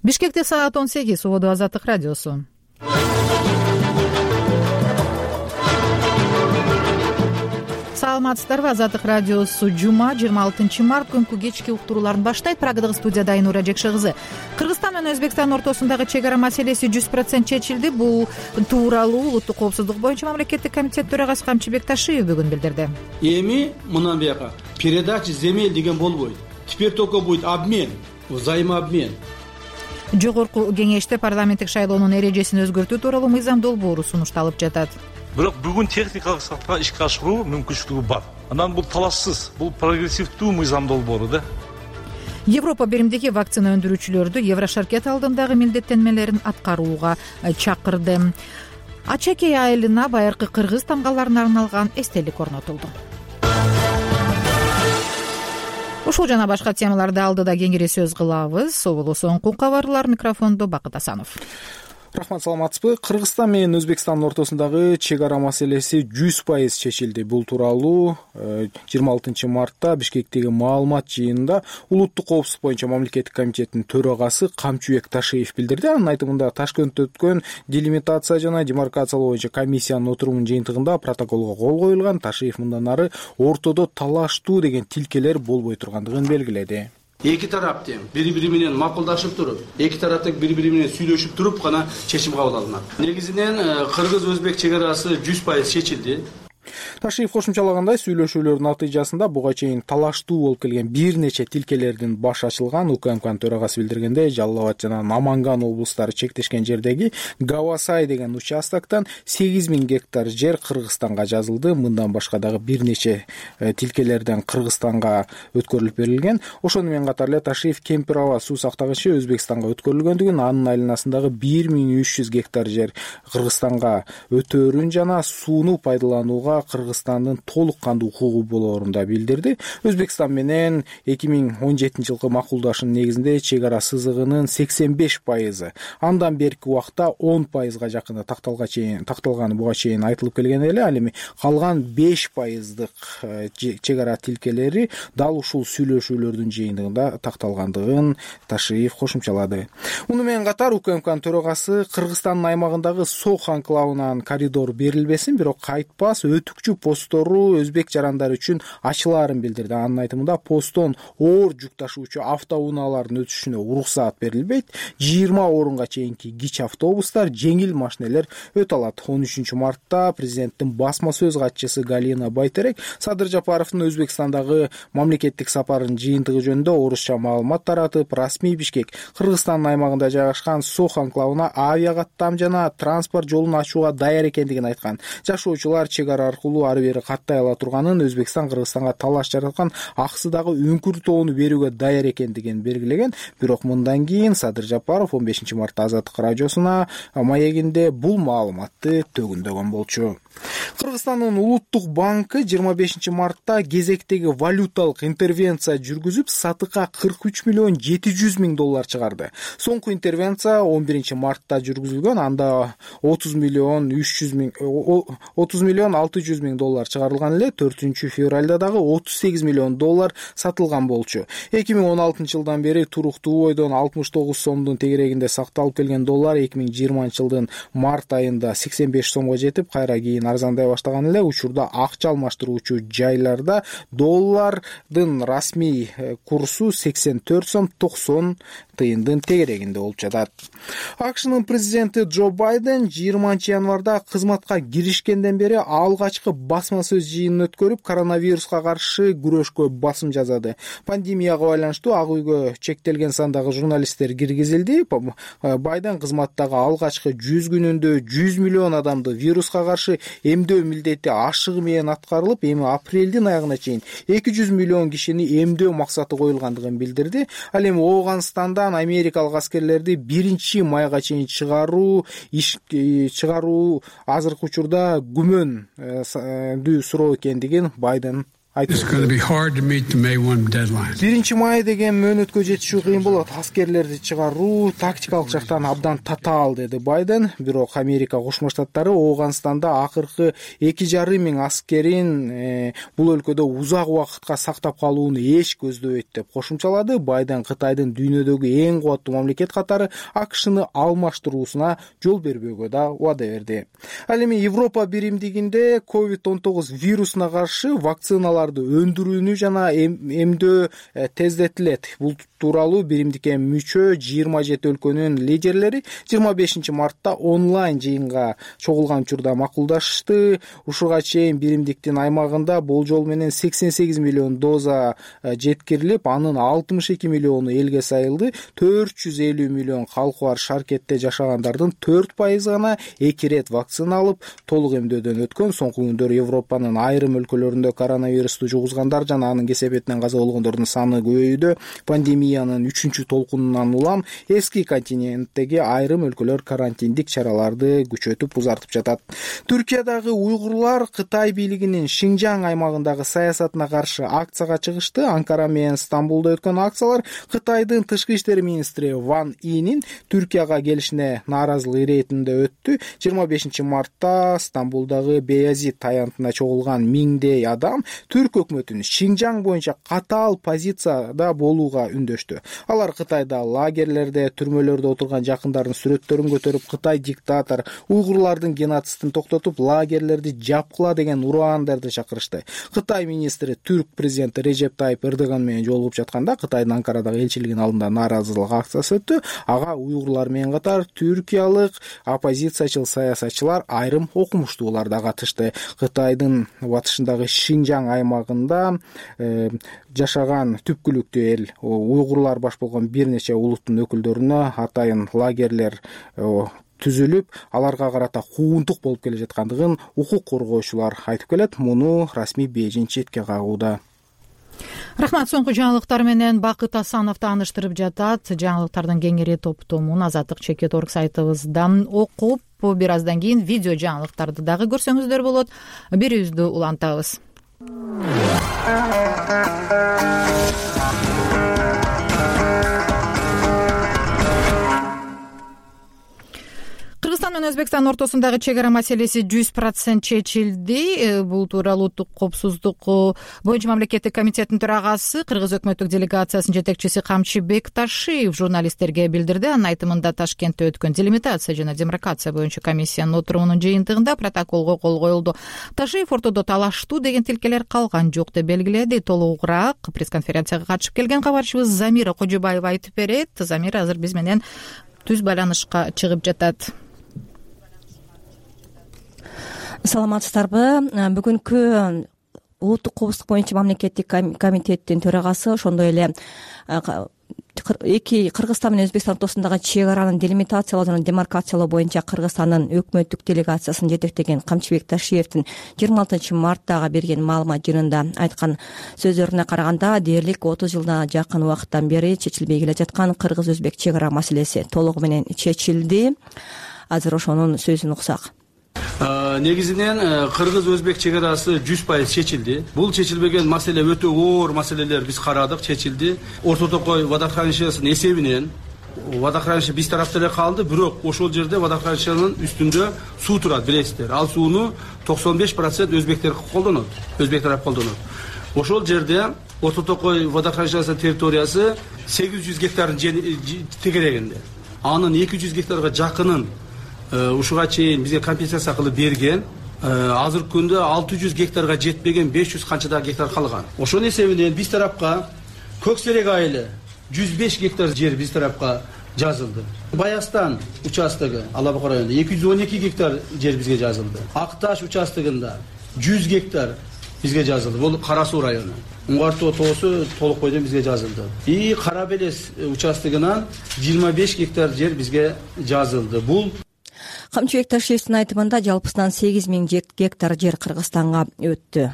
Бишкекте саат 18. Убоду Азаттык радиосу. Саламатсыздарбы? Азаттык радиосу жума 26 март күнкү кечки уктурууларын баштайт. Прагадагы студияда Айнура Жекше кызы. Кыргызстан менен Өзбекстан ортосундагы чек ара маселеси 100% чечилди. Бул тууралуу Улуттук коопсуздук боюнча мамлекеттик комитет төрагасы Камчы Бекташиев бүгүн билдирди. Эми мындан бияка передача земель деген болбойт. Теперь только будет обмен, взаимообмен. Жогорку кеңеште парламенттик шайлоонун эрежесин өзгөртүү тууралуу мыйзам долбоору сунушталып жатат. Бирок бүгүн техникалык сатыга ишке ашыруу мүмкүнчүлүгү бар. Анан бул талашсыз, бул прогрессивдүү мыйзам долбоору да. Европа биримдиги вакцина өндүрүүчүлөрдү Еврошаркет алдындагы милдеттенмелерин аткарууга чакырды. Ачакей айылына байыркы кыргыз тамгаларына арналган эстелик орнотулду. Ушул жана башка темаларды алдыда кеңири сөз кылабыз. Соболу соңку кабарлар, микрофондо Бакыт Асанов. Рахмат, саламатсызбы? Кыргызстан менен Өзбекстандын ортосундагы чек ара маселеси 100% чечилди. Бул тууралуу 26 мартта Бишкектеги маалымат жыйынында Улуттук коопсуздук боюнча мамлекеттик комитеттин төрагасы Камчы Бекташиев билдирди. Анын айтымында Ташкентте өткөн делимитация жана демаркациялоо боюнча комиссиянын отурумунун жыйынтыгында протоколго кол коюлган. Ташиев мындан ары ортодо талаштуу деген тилкелер болбой тургандыгын белгиледи. Эки тарап тең бири-бири менен макулдашып туруп, эки тарап тең бири-бири менен сүйлөшүп туруп гана чечим кабыл алынат. Негизинен кыргыз-өзбек чек арасы 100% чечилди. Ташиев кошумчалагандай, сүйлөшүүлөрдүн натыйжасында буга чейин талаштуу болуп келген бир нече тилкелердин башы ачылган. УКМКнын төрагасы билдиргендей, Жалал Абад жана Наманган облустары чектешкен жердеги Гавасай деген участоктон 8000 гектар жер Кыргызстанга жазылды. Мындан башка дагы бир нече тилкелерден Кыргызстанга өткөрүлүп берилген. Ошону менен катар эле Ташиев Кемпир аба суу сактагычы Өзбекстанга өткөрүлгөндүгүн, анын айланасындагы 1300 гектар жер Кыргызстанга өтөөрүн жана сууну пайдаланууга Кыргызстандын толук кандуу укугу болоорун да билдирди. Өзбекстан менен 2017 жылкы макулдашуунун негизинде чек ара сызыгынын 85%, андан берки убакта 10%га жакын такталганы буга чейин айтылып келген эле. Ал эми калган 5%дык чек ара тилкелери дал ушул сүйлөшүүлөрдүн жыйынтыгында такталгандыгын Ташиев кошумчалады. Муну менен катар УКМКнын төрагасы Кыргызстандын аймагындагы Сох анклавынан коридор берилбесин, бирок кайтпас өтүкчү посттору өзбек жарандары үчүн ачылаарын билдирди. Анын айтымында посттон оор жүк ташуучу автоунаалардын өтүшүнө уруксаат берилбейт. 20 орунга чейинки кичи автобустар, жеңил машинелер өтө алат. 13 мартта президенттин басма сөз катчысы Галина Байтерек Садыр Жапаровдун Өзбекстандагы мамлекеттик сапарынын жыйынтыгы жөнүндө орусча маалымат таратып, расмий Бишкек Кыргызстандын аймагында жайгашкан Сох анклавына авиакаттам жана транспорт жолун ачууга даяр экендигин айткан. Жашоочулар чек ара аркылуу ары бери каттай ала турганын, Өзбекстан Кыргызстанга талаш жараткан аксыдагы үңкүр тоону берүүгө даяр экендигин белгилеген. Бирок мындан кийин Садыр Жапаров 15 мартта Азаттык радиосуна маегинде бул маалыматты төгүндөгөн болчу. Кыргызстандын Улуттук банкы 25 мартта кезектеги валюталык интервенция жүргүзүп, сатыкка 43 миллион 700 миң доллар чыгарды. Соңку интервенция 11 мартта жүргүзүлгөн. Анда 30 миллион 600 миң доллар чыгарылган эле. 4 февралда дагы 38 миллион доллар сатылган болчу. 2016 жылдан бери туруктуу бойдон 69 сомдун тегерегинде сакталып келген доллар 2020 жылдын март айында 85 сомго жетип, кайра кийин арзандай баштаган эле. Учурда акча алмаштыруучу жайларда доллардын расмий курсу 84 сом 90 тыйындын тегерегинде болуп жатат. АКШнын президенти Джо Байден 20 январда кызматка киришкенден бери алгачкы басма сөз жыйынын өткөрүп, коронавируска каршы күрөшкө басым жасады. Пандемияга байланыштуу ак үйгө чектелген сандагы журналисттер киргизилди. Байден кызматтагы алгачкы 100 күнүндө 100 миллион адамды вируска каршы эмдөө милдети ашыгы менен аткарылып, эми апрелдин аягына чейин 200 миллион кишини эмдөө максаты коюлгандыгын билдирди. Ал эми Ооганстандан америкалык аскерлерди 1-майга чейин чыгаруу азыркы учурда күмөндүү суроо экендигин Байден 1 май деген мөөнөткө жетишүү кыйын болот. Аскерлерди чыгаруу тактикалык жактан абдан татаал, деди Байден. Бирок Америка Кошмо Штаттары Ооганстанда акыркы 2,5 миң аскерин бул өлкөдө узак убакытка сактап калууну эч көздөбөйт деп кошумчалады. Байден Кытайдын дүйнөдөгү эң кубаттуу мамлекет катары АКШны алмаштыруусуна жол бербөөгө да убада берди. Ал эми Европа биримдигинде COVID-19 вирусуна каршы вакциналарды өндүрүүнү жана эмдөө тездетилет. Бул тууралуу биримдикке мүчө 27 өлкөнүн лидерлери 25 мартта онлайн жыйынга чогулган учурда макулдашты. Ушуга чейин биримдиктин аймагында болжол менен 88 миллион доза жеткирилип, анын 62 миллиону элге сайылды. 450 миллион калкы бар шаркетте жашагандардын 4% гана 2 рет вакцина алып, толук эмдөөдөн өткөн. Соңку күндөр Европанын айрым өлкөлөрүндө коронавирусту жугузгандар жана анын кесепетинен каза болгондордун саны көбөйүүдө. Пандемиянын 3-толкунунан улам эски континенттеги айрым өлкөлөр карантиндик чараларды күчөтүп узартып жатат. Түркиядагы уйгурлар Кытай бийлигинин Шинжаң аймагындагы саясатына каршы акцияга чыгышты. Анкара менен Стамбулда өткөн акциялар Кытайдын тышкы иштер министри Ван Инин Түркияга келишине нааразылык иретинде өттү. 25 мартта Стамбулдагы Беязид таянтына чогулган миңдей адам түрк өкмөтүн Шинжаң боюнча катаал позицияда болууга үндөштү. Алар Кытайда лагерлерде, түрмөлөрдө отурган жакындарын сүрөттөрүн көтөрүп, Кытай диктатор уйгурлардын геноцидин токтотуп, лагерлерди жапкыла деген ураандарды чакырышты. Кытай министри түрк президенти Режеп Тайип Эрдоган менен жолугуп жатканда Кытайдын Анкарадагы элчилигинин алдында нааразылык акциясы өттү. Ага уйгурлар менен катар түркиялык оппозициячыл саясатчылар, айрым окумуштуулар да катышты. Кытайдын батышындагы Шинжаң аймагында жашаган түпкүлүктүү эл уйгурлар баш болгон бир нече улуттун өкүлдөрүнө атайын лагерлер түзүлүп, аларга карата куугунтук болуп келе жаткандыгын укук коргоочулар айтып келет. Муну расмий Бейжиң четке кагууда. Рахмат. Соңку жаңылыктар менен Бакыт Асанов тааныштырып жатат. Жаңылыктардын кеңири топтомун Азаттык Чекит.орг сайтыбызда окуп, бир аздан кийин видео жаңылыктарды дагы көрсөңүздөр болот. Бирибизди улантабыз. Кыргызстан менен Өзбекстан ортосундагы чек ара маселеси 100% чечилди. Бул тууралуу Улуттук коопсуздук боюнча мамлекеттик комитеттин төрагасы, Кыргыз өкмөттүк делегациясынын жетекчиси Камчыбек Ташиев журналисттерге билдирди. Анын айтымында Ташкентте өткөн делимитация жана демаркация боюнча комиссиянын отурумунун жыйынтыгында протоколго кол коюлду. Ташиев ортодо талаштуу деген тилкелер калган жок деп белгиледи. Толугураак пресс-конференцияга катышып келген кабарчыбыз Замира Кожобаева айтып берет. Замира азыр биз менен түз байланышка чыгып жатат. Саламатсыздарбы? Бүгүнкү Улуттук коопсуздук боюнча мамлекеттик комитеттин төрагасы, ошондой эле Кыргызстан менен Өзбекстан ортосундагы чек араны делимитациялоо жана демаркациялоо боюнча Кыргызстандын өкмөттүк делегациясын жетектеген Камчыбек Ташиевдин 26 марттагы берген маалымат жыйынында айткан сөздөрүнө караганда, дээрлик 30 жылдан жакын убакыттан бери чечилбей келе жаткан кыргыз-өзбек чек ара маселеси толугу менен чечилди. Азыр ошонун сөзүн уксак. Негизинен кыргыз-өзбек чек арасы 100% чечилди. Бул чечилбеген маселе өтө оор маселелер биз карадык, чечилди. Орто-Токой водохранилищесинин эсебинен водохранилище биз тарапта эле калды, бирок ошол жерде водохранилищенин үстүндө суу турат, билесиздер. Ал сууну 95% өзбектер колдонот, өзбек тарап колдонот. Ошол жерде Орто-Токой водохранилищесинин территориясы 800 гектардын тегерегинде. Анын 200 гектарга жакынын ушуга чейин бизге компенсация кылып берген. Азыркы күндө 600 гектарга жетпеген 500 канча гектар калган. Ошонун эсебинен биз тарапка Көксерек айылы 105 гектар жер биз тарапка жазылды. Баястан участогу Алабуга районунда 212 гектар жер бизге жазылды. Акташ участогунда 100 гектар бизге жазылды. Бул Кара Суу району. Уңгартоо тоосу толук бойдон бизге жазылды. И Кара Белес участогунан 25 гектар жер бизге жазылды. Бул Камчыбек Ташиевдин айтымында жалпысынан 8000 гектар жер Кыргызстанга өттү.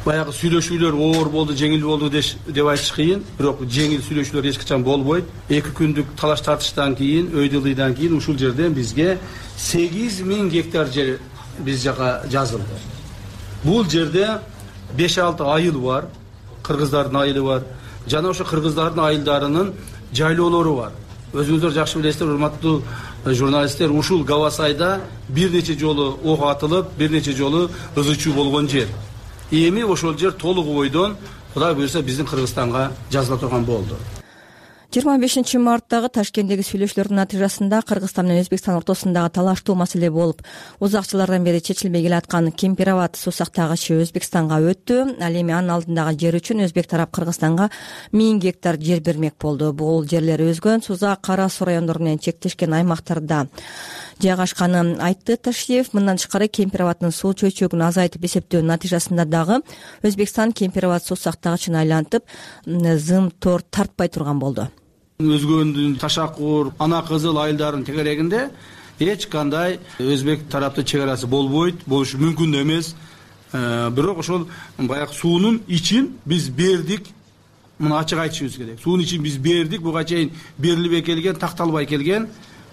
Баягы сүйлөшүүлөр оор болду, жеңил болду деп айтыш кыйын, бирок жеңил сүйлөшүүлөр эч качан болбойт. 2 күндүк талаш тартыштан кийин, өйдөлүйдөн кийин ушул жерден бизге 8000 гектар жер биз жака жазылды. Бул жерде 5-6 айыл бар, кыргыздардын айылы бар. Жана ошо кыргыздардын айылдарынын жайлоолору бар. Өзүңүздөр жакшы билесиздер, урматтуу журналисттер, ушул Гавасайда бир нече жолу ок атылып, бир нече жолу ызы-чуу болгон жер. Эми ошол жер толук бойдон Кудай буюрса биздин Кыргызстанга жазыла турган болду. 25 марттагы Ташкенттеги сүйлөшүүлөрдүн натыйжасында Кыргызстан менен Өзбекстан ортосундагы талаштуу маселе болуп, узак жылдардан бери чечилбей келаткан Кемпироват суу сактагычы Өзбекстанга өттү. Ал эми анын алдындагы жер үчүн Өзбек тарап Кыргызстанга 1000 гектар жер бермек болду. Бул жерлер Өзгөн, Суза, Кара Суу райондору менен чектешкен аймактарда жайгашканын айтты Ташиев. Мындан тышкары Кемпироваттын суу чөйчөгүн азайтып эсептөөнүн натыйжасында дагы Өзбекстан Кемпироват суу сактагычын айлантып, зым тор тартпай турган болду. Өзгөндүн Ташакур, Ана Кызыл айылдарынын тегерегинде эч кандай Өзбек тараптын чек арасы болбойт, болушу мүмкүн да эмес. Бирок ошол баягы суунун ичин биз бердик. Муну ачык айтышыбыз керек. Суунун ичин биз бердик, буга чейин берилбей келген, такталбай келген.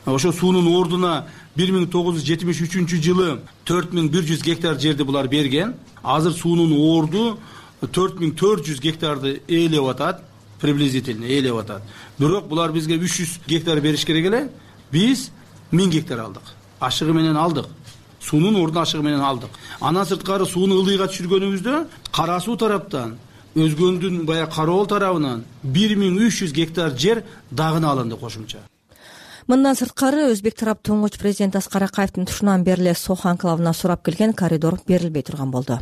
Ошо суунун ордуна 1973-жылы 4100 гектар жерди булар берген. Азыр суунун орду 4400 гектарды ээлеп атат. Приблизительно ээлеп атат. Бирок булар бизге 300 гектар бериш керек эле. Биз 1000 гектар алдык. Ашыгы менен алдык. Суунун ордуна ашыгы менен алдык. Андан сырткары сууну ылдыйга түшүргөнүбүздө Кара Суу тараптан, Өзгөндүн баягы Кароол тарабынан 1300 гектар жер дагына алынды кошумча. Мындан сырткары Өзбек тарап туңгуч президент Аскар Акаевдин тушунан бери эле Сох анклавына сурап келген коридор берилбей турган болду.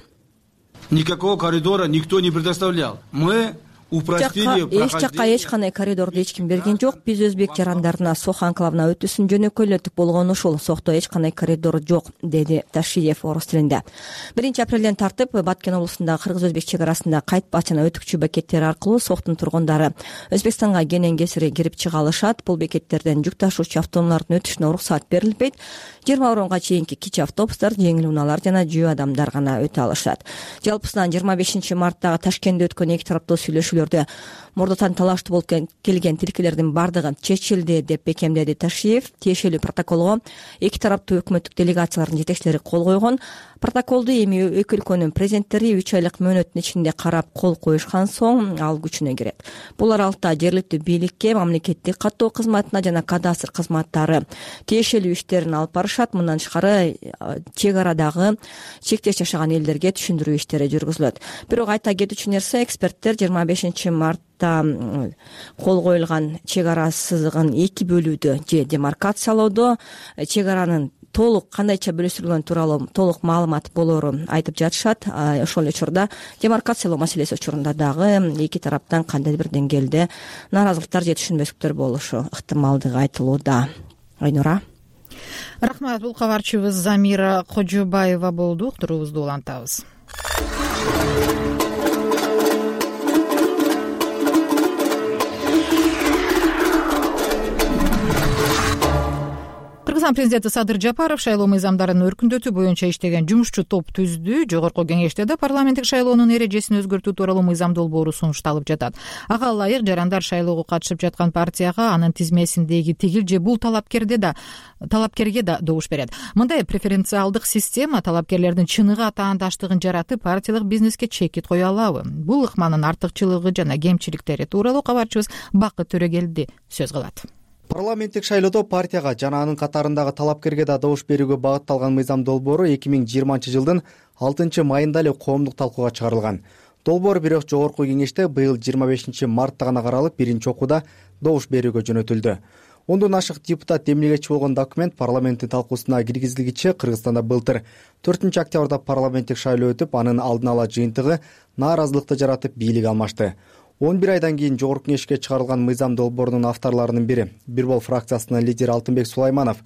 Никакого коридора никто не предоставлял. Мы эч жакка эч кандай коридорду эч ким берген жок. Биз Өзбек жарандарына Сох анклавына өтүүсүн жөнөкөйлөттүк болгон ушул. Сохто эч кандай коридор жок, деди Ташиев орус тилинде. 1-апрелден тартып Баткен облусундагы кыргыз-өзбек чек арасында кайтпач жана өтүкчү бекеттер аркылуу Сохтун тургундары Өзбекстанга кенен кесири кирип чыга алышат. Бул бекеттерден жүк ташуучу автоунаалардын өтүшүнө уруксат берилбейт. 20 орунга чейинки кичи автобустар, жеңил унаалар жана жөө адамдар гана өтө алышат. Жалпысынан 25 марттагы Ташкентте өткөн эки тараптуу сүйлөшүүлөрдө мурдатан талаштуу болуп келген тилкелердин бардыгы чечилди деп бекемдеди Ташиев. Тиешелүү протоколго эки тараптуу өкмөттүк делегациялардын жетекчилери кол койгон. Протоколду эми эки өлкөнүн президенттери 3 айлык мөөнөттүн ичинде карап кол коюшкан соң ал күчүнө кирет. Бул аралыкта жергиликтүү бийликке, мамлекеттик каттоо кызматына жана кадастр кызматтары тиешелүү иштерин алып барышат. Мындан тышкары чек арадагы чектеш жашаган элдерге түшүндүрүү иштери жүргүзүлөт. Бирок айта кетүүчү нерсе, эксперттер 25 мартта кол коюлган чек ара сызыгын эки бөлүүдө же демаркациялоодо чек аранын толук кандайча бөлүштүрүлгөн тууралуу толук маалымат болоорун айтып жатышат. Ошол эле учурда демаркациялоо маселеси учурунда дагы эки тараптан кандайдыр бир деңгээлде нааразылыктар же түшүнбөстүктөр болушу ыктымалдыгы айтылууда. Айнура. Рахмат. Бул кабарчыбыз Замира Кожобаева болду. Уктуруубузду улантабыз. Кыргызстан президенти Садыр Жапаров шайлоо мыйзамдарын өркүндөтүү боюнча иштеген жумушчу топ түздү. Жогорку кеңеште да парламенттик шайлоонун эрежесин өзгөртүү тууралуу мыйзам долбоору сунушталып жатат. Ага ылайык жарандар шайлоого катышып жаткан партияга анын тизмесиндеги тигил же бул талапкерге да добуш берет. Мындай преференциалдык система талапкерлердин чыныгы атаандаштыгын жаратып, партиялык бизнеске чекит кое алабы? Бул ыкманын артыкчылыгы жана кемчиликтери тууралуу кабарчыбыз Бакыт Төрөгелди сөз кылат. Парламенттик шайлоодо партияга жана анын катарындагы талапкерге да добуш берүүгө багытталган мыйзам долбоору 2020-жылдын 6-майында эле коомдук талкууга чыгарылган. Долбоор бирок жогорку кеңеште быйыл 25 мартта гана каралып, биринчи окууда добуш берүүгө жөнөтүлдү. 10дон ашык депутат эмнегечи болгон документ парламенттин талкуусуна киргизилгичи Кыргызстанда былтыр 4-октябрда парламенттик шайлоо өтүп, анын алдын ала жыйынтыгы нааразылыкты жаратып бийлик алмашты. 11 айдан кийин жогорку кеңешке чыгарылган мыйзам долбоорунун авторлорунун бири Бир Бол фракциясынын лидери Алтынбек Сулайманов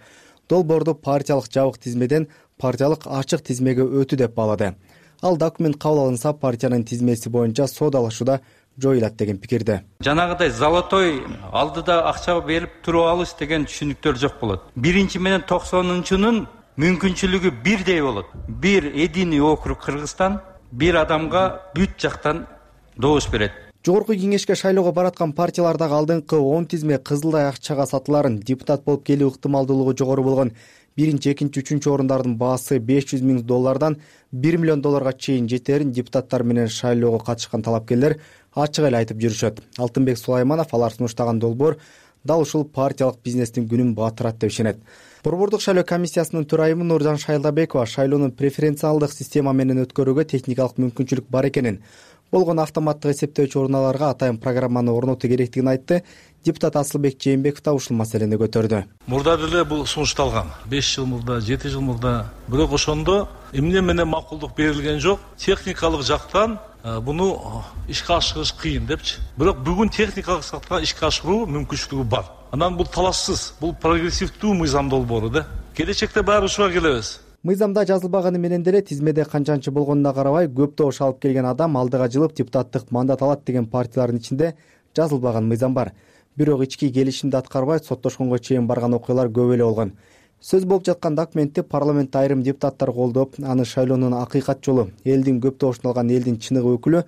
долбоорду партиялык жабык тизмеден партиялык ачык тизмеге өтүү деп баалады. Ал документ кабыл алынса партиянын тизмеси боюнча соодалашууда жоюлат деген пикирде. Жанагыдай золотой алдыда акча берип туруп алыш деген түшүнүктөр жок болот. 1 менен 90-нын мүмкүнчүлүгү бирдей болот. Бир единый округ Кыргызстан бир адамга бүт жактан добуш берет. Жогорку кеңешке шайлоого бараткан партиялардагы алдыңкы 10 тизме кызылдай акчага сатыларын, депутат болуп келүү ыктымалдуулугу жогору болгон 1-чи, 2-чи, 3-чү орундардын баасы $500 000 $1 миллион чейин жетерин депутаттар менен шайлоого катышкан талапкерлер ачык эле айтып жүрүшөт. Алтынбек Сулайманов алар сунуштаган долбоор дал ушул партиялык бизнестин күнүн батырат деп ишенет. Борбордук шайлоо комиссиясынын төрайымы Нуржан Шайлдабекова шайлоону преференциалдык система менен өткөрүүгө техникалык мүмкүнчүлүк бар экенин, болгон автоматтык эсептөөчү урналарга атайын программаны орнотуу керектигин айтты. Депутат Асылбек Жээнбеков да ушул маселени көтөрдү. Мурда деле бул сунушталган 5 жыл мурда, 7 жыл мурда, бирок ошондо эмне менен макулдук берилген жок. Техникалык жактан буну ишке ашырыш кыйын депчи. Бирок бүгүн техникалык жактан ишке ашыруу мүмкүнчүлүгү бар. Анан бул талашсыз, бул прогрессивдүү мыйзам долбоору да. Келечекте баары ушуга келебиз. Мыйзамда жазылбаганы менен деле тизмеде канчанчы болгонуна карабай көп добуш алып келген адам алдыга жылып депутаттык мандат алат деген партиялардын ичинде жазылбаган мыйзам бар. Бирок ички келишимди аткарбай соттошконго чейин барган окуялар көп эле болгон. Сөз болуп жаткан документти парламентте айрым депутаттар колдоп, аны шайлоонун акыйкат жолу, элдин көп добушун алган элдин чыныгы өкүлү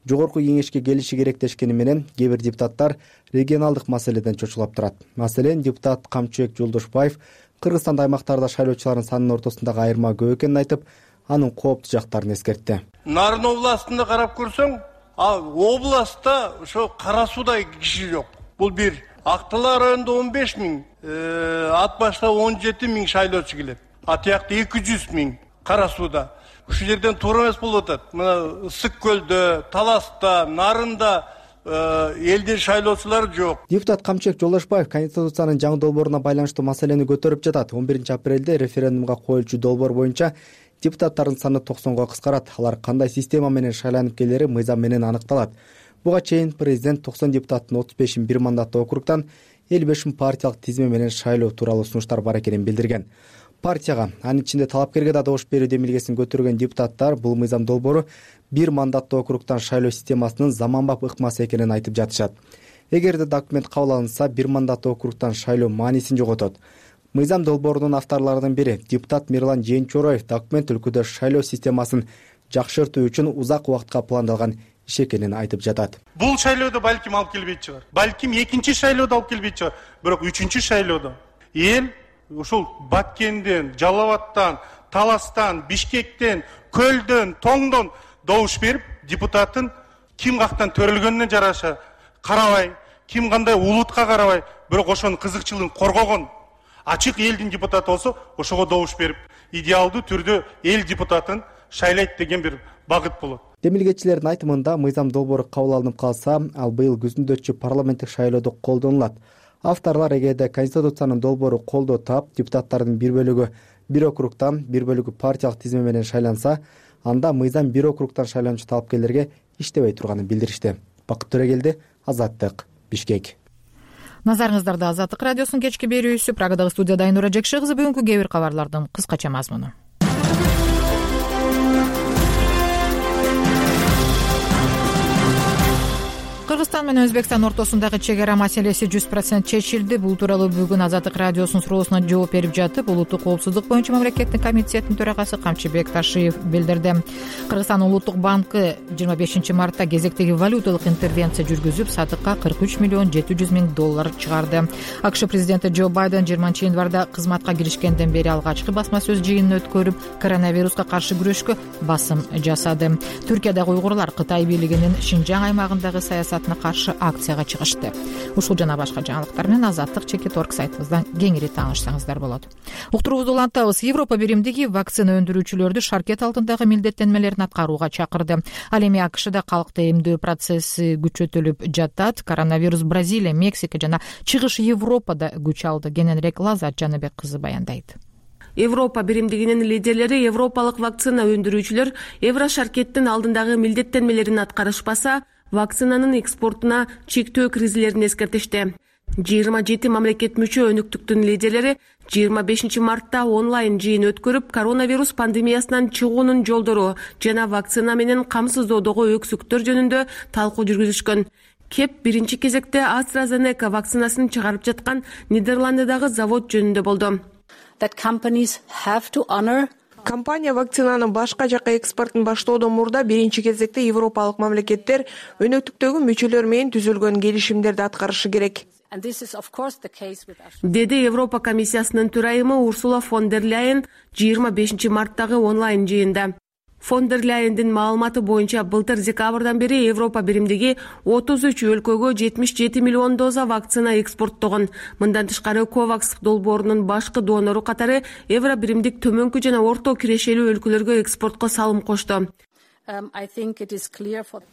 жогорку кеңешке келиши керек дешкени менен кээ бир депутаттар регионалдык маселеден чочулап турат. Маселен, депутат Камчыбек Жолдошбаев Кыргызстанда аймактарда шайлоочулардын санынын ортосундагы айырма көп экенин айтып, анын кооптуу жактарын эскертти. Нарын областында карап көрсөң, областта ошо Кара Суудай киши жок. Бул бир. Актылар районунда 15 000, Ат башта 17 000 шайлоочу келет. Атыякта 200 000 Кара Сууда. Ушул жерден туура эмес болуп атат. Мына Ысык көлдө, Таласта, Нарында элдин шайлоочулары жок. Депутат Камчыбек Жолдошбаев Конституциянын жаңы долбооруна байланыштуу маселени көтөрүп жатат. 11 апрелде референдумга коюлчу долбоор боюнча депутаттардын саны 90го кыскарат. Алар кандай система менен шайланып келери мыйзам менен аныкталат. Буга чейин президент 90 депутаттын 35-ин бир мандаттуу округтан 55-ин партиялык тизме менен шайлоо тууралуу сунуштар бар экенин билдирген. Партияга, анын ичинде талапкерге да добуш берүү демилгесин көтөргөн депутаттар бул мыйзам долбоору бир мандаттуу округтан шайлоо системасынын заманбап ыкмасы экенин айтып жатышат. Эгерде документ кабыл алынса, бир мандаттуу округтан шайлоо маанисин жоготот. Мыйзам долбоорунун авторлорунун бири депутат Мирлан Жээнчороев документ өлкөдө шайлоо системасын жакшыртуу үчүн узак убакытка пландалган иш экенин айтып жатат. Бул шайлоодо балким алып келбейт чыгар. Балким экинчи шайлоодо алып келбейт чыгар. Бирок үчүнчү шайлоодо эл ушул Баткенден, Жалал-Абадтан, Таластан, Бишкектен, Көлдөн, Тоңдон добуш берип, депутаттын ким кактан төрөлгөнүнө жараша карабай, ким кандай улутка карабай, бирок ошонун кызыкчылыгын коргогон ачык элдин депутаты болсо, ошого добуш берип, идеалдуу түрдө эл депутатын шайлайт деген бир багыт болот. Демилгечилердин айтымында мыйзам долбоору кабыл алынып калса, ал быйыл күзүндө өтчү парламенттик шайлоодо колдонулат. Авторлар эгерде Конституциянын долбоору колдоо таап, депутаттардын бир бөлүгү бир округтан, бир бөлүгү партиялык тизме менен шайланса, анда мыйзам бир округтан шайланчу талапкерлерге иштебей турганын билдиришти. Бакыт Төрөгелди, Азаттык, Бишкек. Назарыңыздарда Азаттык радиосунун кечки берүүсү. Прагадагы студияда Айнура Жекши кызы. Бүгүнкү кээ бир кабарлардын кыскача мазмуну. Кыргызстан менен Өзбекстан ортосундагы чек ара маселеси 100% чечилди. Бул тууралуу бүгүн Азаттык радиосунун суроосуна жооп берип жатып, улуттук коопсуздук боюнча мамлекеттик комитеттин төрагасы Камчыбек Ташиев билдирди. Кыргызстан улуттук банкы 25 мартта кезектеги валюталык интервенция жүргүзүп, сатыкка $43 миллион $700 000 чыгарды. АКШ президенти Джо Байден 20 январда кызматка киришкенден бери алгачкы басма сөз жыйынын өткөрүп, коронавируска каршы күрөшкө басым жасады. Түркиядагы уйгурлар Кытай бийлигинин Шинжаң аймагындагы саясатына каршы акцияга чыгышты. Ушул жана башка жаңылыктар менен Азаттык @org сайтыбыздан кеңири таанышсаңыздар болот. Уктуруубузду улантабыз. Европа биримдиги вакцина өндүрүүчүлөрдү шаркет алдындагы милдеттенмелерин аткарууга чакырды. Ал эми АКШда калкты эмдөө процесси күчөтүлүп жатат. Коронавирус Бразилия, Мексика жана чыгыш Европада күч алды. Кененирээк Лазат Жаныбек кызы баяндайт. Европа биримдигинин лидерлери европалык вакцина өндүрүүчүлөр Еврошаркеттин алдындагы милдеттенмелерин аткарышпаса, вакцинанын экспортуна чектөө киргизилерин эскертишти. 27 мамлекет мүчө өнүктүктүн лидерлери 25 мартта онлайн жыйын өткөрүп, коронавирус пандемиясынан чыгуунун жолдору жана вакцина менен камсыздоодогу өксүктөр жөнүндө талкуу жүргүзүшкөн. Кеп биринчи кезекте AstraZeneca вакцинасын чыгарып жаткан Нидерландыдагы завод жөнүндө болду. Компания вакцинанын башка жакка экспортун баштоодон мурда биринчи кезекте европалык мамлекеттер өнөктүктөгү мүчөлөр менен түзүлгөн келишимдерди аткарышы керек, деди Европа комиссиясынын төрайымы Урсула фон дер Ляйен 25 марттагы онлайн жыйында. Фон дер Ляйендин маалыматы боюнча былтыр декабрдан бери Европа биримдиги 33 өлкөгө 77 миллион доза вакцина экспорттогон. Мындан тышкары Ковакс долбоорунун башкы донору катары евро биримдик төмөнкү жана орто кирешелүү өлкөлөргө экспортко салым кошту.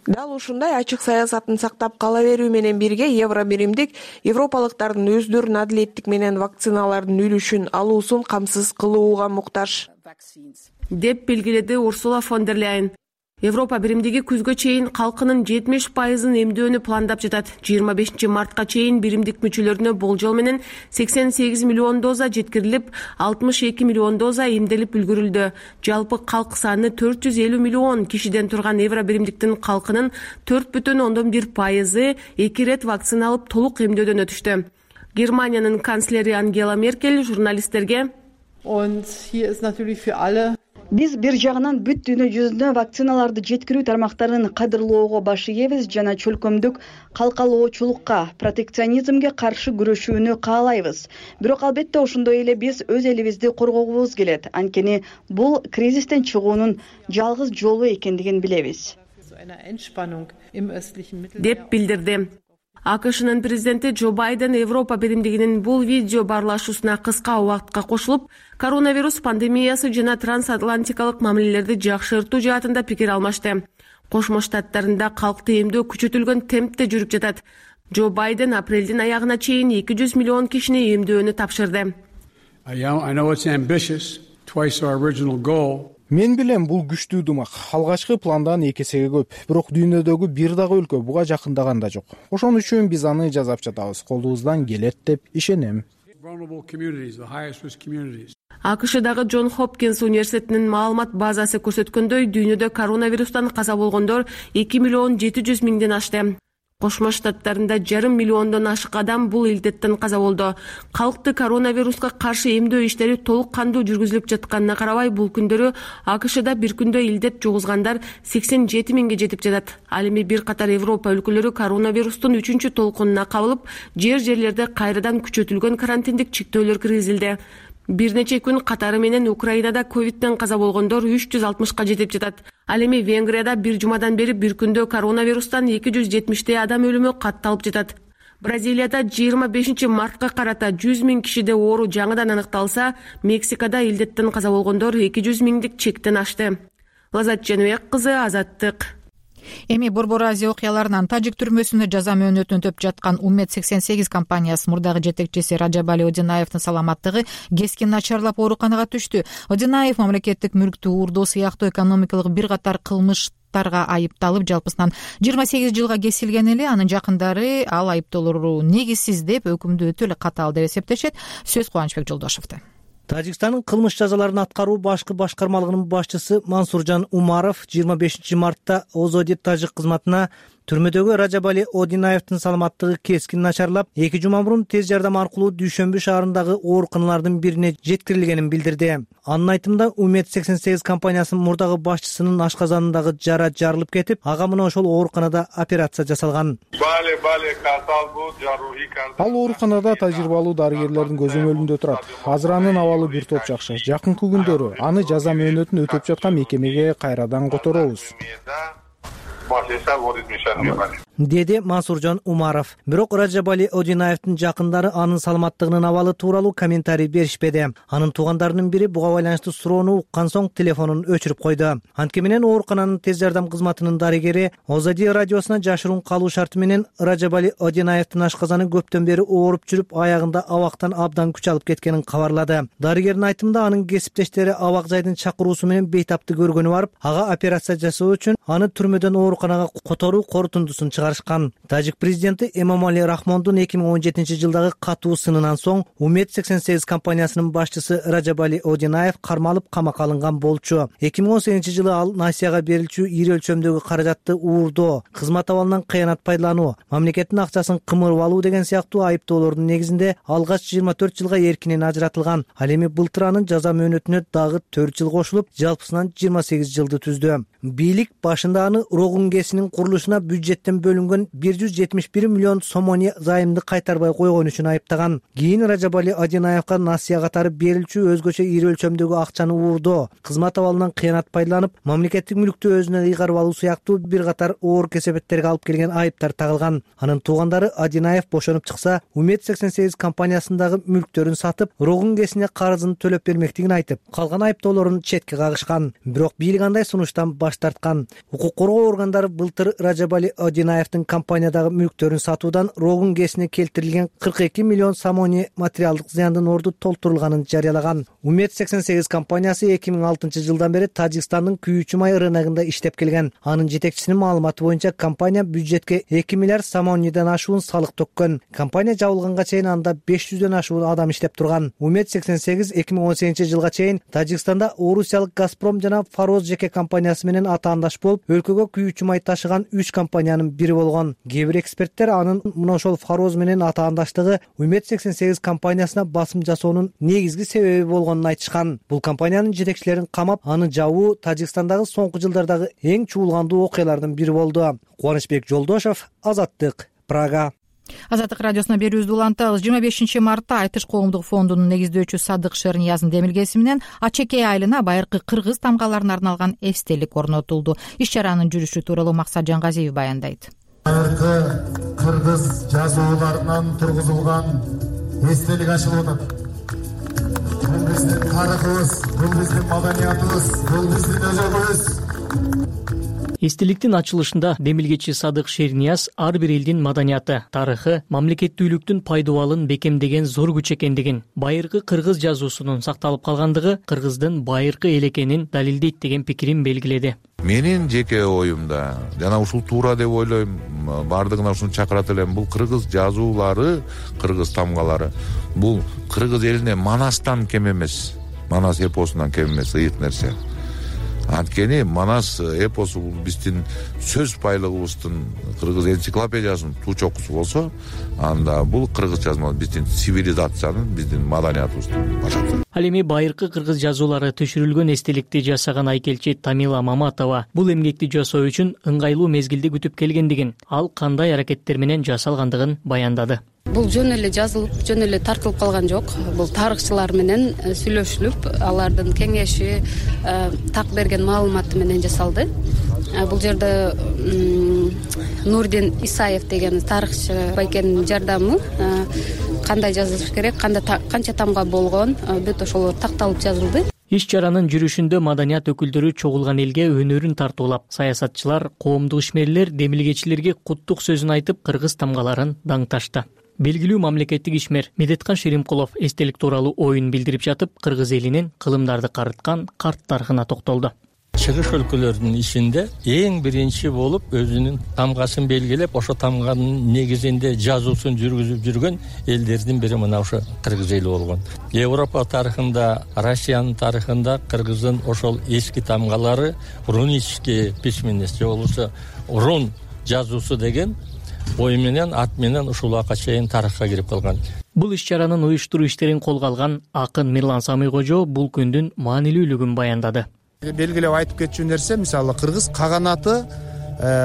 Дал ушундай ачык саясатын сактап кала берүү менен бирге евро биримдик европалыктардын өздөрүнүн адилеттик менен вакциналардын үлүшүн алуусун камсыз кылууга муктаж, деп белгиледи Урсула фон дер Ляйен. Европа биримдиги күзгө чейин калкынын 70%-ын эмдөөнү пландап жатат. 25 мартка чейин биримдик мүчөлөрүнө болжол менен 88 миллион доза жеткирилип, 62 миллион доза эмделип үлгүрүлдү. Жалпы калк саны 450 миллион кишиден турган евро биримдиктин калкынын 4,1%-ы 2 рет вакцина алып толук эмдөөдөн өтүштү. Германиянын канцлери Ангела Меркель журналисттерге биз бир жагынан бүт дүйнө жүзүнө вакциналарды жеткирүү тармактарын кадырлоого баш ийебиз жана чөлкөмдүк калкалоочулукка, протекционизмге каршы күрөшүүнү каалайбыз. Бирок албетте ошондой эле биз өз элибизди коргогубуз келет. Анткени бул кризистен чыгуунун жалгыз жолу экендигин билебиз, деп билдирди. АКШнын президенти Джо Байден Европа биримдигинин бул видео баарлашуусуна кыска убакытка кошулуп, коронавирус пандемиясы жана трансатлантикалык мамилелерди жакшыртуу жаатында пикир алмашты. Кошмо Штаттарында калкты эмдөө күчөтүлгөн темпте жүрүп жатат. Джо Байден апрелдин аягына чейин 200 миллион кишини эмдөөнү тапшырды. Мен билем бул күчтүү дымак. Алгачкы пландан 2 эсеге көп. Бирок дүйнөдөгү бир дагы өлкө буга жакындаган да жок. Ошон үчүн биз аны жасап жатабыз. Колубуздан келет деп ишенем. АКШдагы Джон Хопкинс университетинин маалымат базасы көрсөткөндөй, дүйнөдө коронавирустан каза болгондор 2 миллион 700 миңден ашты. Кошмо Штаттарында 500 миллиондон ашык адам бул илдеттен каза болду. Калкты коронавируска каршы эмдөө иштери толук кандуу жүргүзүлүп жатканына карабай, бул күндөрү АКШда бир күндө илдет жугузгандар 87 миңге жетип жатат. Ал эми бир катар Европа өлкөлөрү коронавирустун 3-чү толкунуна кабылып, жер-жерлерде кайрадан күчөтүлгөн карантиндик чектөөлөр киргизилди. Бир нече күн катары менен Украинада ковидтен каза болгондор 360ка жетип жатат. Ал эми Венгрияда бир жумадан бери бир күндө коронавирустан 270 адам өлүмү катталып жатат. Бразилияда 25 мартка карата 100 миң кишиде оору жаңыдан аныкталса, Мексикада илдеттен каза болгондор 200 миңдик чектен ашты. Лазат Женбек кызы, Азаттык. Эми Борбор Азия окуяларынан тажик түрмөсүндө жаза мөөнөтүн өтөп жаткан Уммет 88 компаниясынын мурдагы жетекчиси Ражабали Одинаевдин саламаттыгы кескин начарлап ооруканага түштү. Одинаев мамлекеттик мүлктү уурдоо сыяктуу экономикалык бир катар кылмыштарга айыпталып, жалпысынан 28 жылга кесилген эле. Анын жакындары ал айыптоолору негизсиз деп өкүмдү өтө эле катаал деп эсептешет. Сөз Кубанычбек Жолдошовдо. Тажикстандын кылмыш жазаларын аткаруу башкы башкармалыгынын башчысы Мансуржан Умаров 25 мартта Озоди тажик кызматына түрмөдөгү Ражабали Одинаевдин саламаттыгы кескин начарлап, 2 жума мурун тез жардам аркылуу Дүйшөмбү шаарындагы ооруканалардын бирине жеткирилгенин билдирди. Анын айтымында, Уммет 88 компаниясынын мурдагы башчысынын ашказанындагы жара жарылып кетип, ага мына ошол ооруканада операция жасалган. Ал ооруканада тажрыйбалуу дарыгерлердин көзөмөлүндө турат. Азыр анын абалы бир топ жакшы. Жакынкы күндөрү аны жаза мөөнөтүн өтөп жаткан мекемеге кайрадан которобуз, деди Мансуржан Умаров. Бирок Ражабали Одинаевдин жакындары анын саламаттыгынын абалы тууралуу комментарий беришпеди. Анын туугандарынын бири буга байланыштуу суроону уккан соң телефонун өчүрүп койду. Анткени менен оорукананын тез жардам кызматынын дарыгери Озоди радиосуна жашыруун калуу шарты менен Ражабали Одинаевдин ашказаны көптөн бери ооруп жүрүп, аягында абактан абдан күч алып кеткенин кабарлады. Дарыгердин айтымында, анын кесиптештери абак жайдын чакыруусу менен бейтапты көргөнү барып, ага операция жасоо үчүн аны түрмөдөн ооруканага которуу корутундусун чыгарган. чыгарышкан. Тажик президенти Эмомали Рахмондун 2017-жылдагы катуу сынынан соң Умед 88 компаниясынын башчысы Ражабали Одинаев кармалып камакка алынган болчу. 2018-жылы ал насияга берилчү ири өлчөмдөгү каражатты уурдоо, кызмат абалынан кыянат пайдалануу, мамлекеттин акчасын кымырып алуу деген сыяктуу айыптоолордун негизинде алгач 24 жылга эркинен ажыратылган. Ал эми былтыр анын жаза мөөнөтүнө дагы 4 жыл кошулуп, жалпысынан 28 жылды түздү. Бийлик башында аны Рогун КЭСинин курулушуна бюджеттен бөлүнгөн 171 миллион сомони займды кайтарбай койгон үчүн айыптаган. Кийин Ражабали Одинаевка насыя катары берилчү өзгөчө ири өлчөмдөгү акчаны уурдоо, кызмат абалынан кыянат пайдаланып, мамлекеттик мүлктү өзүнө ыйгарып алуу сыяктуу бир катар оор кесепеттерге алып келген айыптар тагылган. Анын туугандары Одинаев бошонуп чыкса, Умед 88 компаниясындагы мүлктөрүн сатып, Рогун КЭСине карызын төлөп бермектигин айтып, калган айыптоолорун четке кагышкан. Бирок бийлик андай сунуштан баш тарткан. Укук коргоо органдары былтыр Ражабали Одинаевдин компаниядагы мүлктөрүн сатуудан Рогун КЭСине келтирилген 42 миллион сомони материалдык зыяндын орду толтурулганын жарыялаган. Умед 88 компаниясы 2006-жылдан бери Тажикстандын күйүүчү май рыногунда иштеп келген. Анын жетекчисинин маалыматы боюнча компания бюджетке 2 миллиард сомонидан ашуун салык төккөн. Компания жабылганга чейин анда 500дөн ашуун адам иштеп турган. Умед 88 2018-жылга чейин Тажикстанда Орусиялык Газпром жана Фароз жеке компаниясы менен атаандаш болуп, өлкөгө күйүүчү май ташыган 3 компаниянын бири болгон. Кээ бир эксперттер анын мына ошол Фароз менен атаандаштыгы Умед 88 компаниясына басым жасоонун негизги себеби болгонун айтышкан. Бул компаниянын жетекчилерин камап, аны жабуу Тажикстандагы соңку жылдардагы эң чуулгандуу окуялардын бири болду. Кубанычбек Жолдошов, Азаттык, Прага. Азаттык радиосуна берүүбүздү улантабыз. 25 мартта Айтыш коомдук фондунун негиздөөчүсү Садык Шернияздын демилгеси менен Ачекей айылына байыркы кыргыз тамгаларына арналган эстелик орнотулду. Иш чаранын жүрүшү тууралуу Максат Жангазиев баяндайт. Байыркы кыргыз жазууларынан тургузулган эстелик ачылып атат. Бул биздин тарыхыбыз, бул биздин маданиятыбыз, бул биздин өзөгүбүз. Эстеликтин ачылышында демилгечи Садык Шернияз ар бир элдин маданияты, тарыхы, мамлекеттүүлүктүн пайдубалын бекемдеген зор күч экендигин, байыркы кыргыз жазуусунун сакталып калгандыгы кыргыздын байыркы эл экенин далилдейт деген пикирин белгиледи. Менин жеке оюмда жана ушул туура деп ойлойм, бардыгына ушуну чакырат элем. Бул кыргыз жазуулары, кыргыз тамгалары бул кыргыз элине Манастан кем эмес, Манас эпосунан кем эмес, ыйык нерсе. Анткени Манас эпосу бул биздин сөз байлыгыбыздын, кыргыз энциклопедиясынын туу чокусу болсо, анда бул кыргыз жазма биздин цивилизациянын, биздин маданиятыбыздын башкы. Ал эми байыркы кыргыз жазуулары түшүрүлгөн эстеликти жасаган айкелчи Тамила Маматова бул эмгекти жасоо үчүн ыңгайлуу мезгилди күтүп келгендигин, ал кандай аракеттер менен жасалгандыгын баяндады. Бул жөн эле жазылып, жөн эле тартылып калган жок. Бул тарыхчылар менен сүйлөшүлүп, алардын кеңеши, так берген маалыматы менен жасалды. Бул жерде Нурдин Исаев деген тарыхчы байкенин жардамы, кандай жазылыш керек, канча тамга болгон, бүт ошолор такталып жазылды. Иш чаранын жүрүшүндө маданият өкүлдөрү чогулган элге өнөрүн тартуулап, саясатчылар, коомдук ишмерлер демилгечилерге куттук сөзүн айтып, кыргыз тамгаларын даңташты. Белгилүү мамлекеттик ишмер Медеткан Шеримкулов эстелик тууралуу оюн билдирип жатып, кыргыз элинин кылымдарды карыткан карт тарыхына токтолду. Чыгыш өлкөлөрдүн ичинде эң биринчи болуп өзүнүн тамгасын белгилеп, ошо тамганын негизинде жазуусун жүргүзүп жүргөн элдердин бири мына ошо кыргыз эли болгон. Европа тарыхында, Россиянын тарыхында кыргыздын ошол эски тамгалары рунический письменность же болбосо рун жазуусу деген ой менен, ат менен ушул убакка чейин тарыхка кирип калган. Бул иш чаранын уюштуруу иштерин колго алган акын Мирлан Самыйкожо бул күндүн маанилүүлүгүн баяндады. Белгилеп айтып кетчү нерсе, мисалы кыргыз каганаты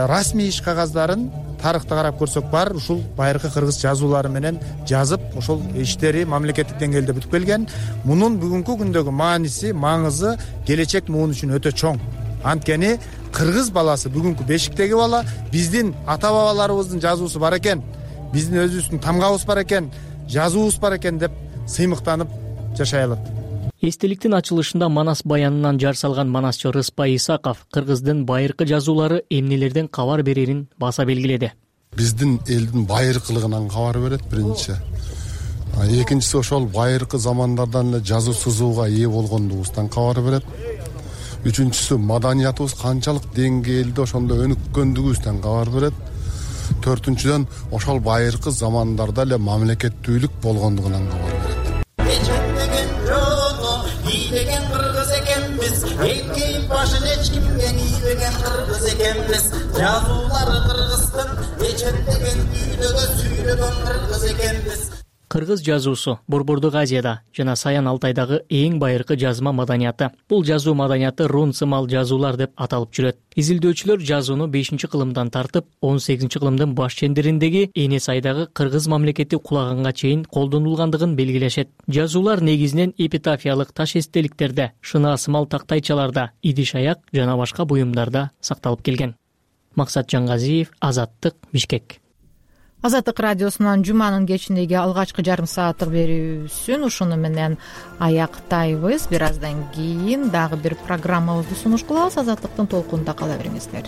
расмий иш кагаздарын тарыхта карап көрсөк бар, ушул байыркы кыргыз жазуулары менен жазып, ошол иштери мамлекеттик деңгээлде бүтүп келген. Мунун бүгүнкү күндөгү мааниси, маңызы келечек муун үчүн өтө чоң. Анткени кыргыз баласы бүгүнкү бешиктеги бала, биздин ата бабаларыбыздын жазуусу бар экен, биздин өзүбүздүн тамгабыз бар экен, жазуубуз бар экен деп сыймыктанып жашай алат. Эстеликтин ачылышында Манас баянынан жар салган манасчы Рыспай Исаков кыргыздын байыркы жазуулары эмнелерден кабар берерин баса белгиледи. Биздин элдин байыркылыгынан кабар берет биринчи. Экинчиси ошол байыркы замандардан эле жазуу сызууга ээ болгондугубуздан кабар берет. Үчүнчүсү маданиятыбыз канчалык деңгээлде ошондо өнүккөндүгүбүздөн кабар берет. төртүнчүдөн ошол байыркы замандарда эле мамлекеттүүлүк болгондугунан кабар берет. Эчендеген жолу ийбеген кыргыз экенбиз, элкейип башын эч кимге ийбеген кыргыз экенбиз. Жазуулары кыргыздын эчендеген үйлөгө сүйлөгөн кыргыз экенбиз. Кыргыз жазуусу Борбордук Азияда жана Саян Алтайдагы эң байыркы жазма маданияты. Бул жазуу маданияты рун сымал жазуулар деп аталып жүрөт. Изилдөөчүлөр жазууну 5-кылымдан тартып 18-кылымдын баш чендериндеги Эне Сайдагы кыргыз мамлекети кулаганга чейин колдонулгандыгын белгилешет. Жазуулар негизинен эпитафиялык таш эстеликтерде, шына сымал тактайчаларда, идиш аяк жана башка буюмдарда сакталып келген. Максат Жангазиев, Азаттык, Бишкек. Азаттык радиосунан жуманын кечиндеги алгачкы жарым сааттык берүүсүн ушуну менен аяктайбыз. Бир аздан кийин дагы бир программабызды сунуш кылабыз. Азаттыктын толкунунда кала бериңиздер.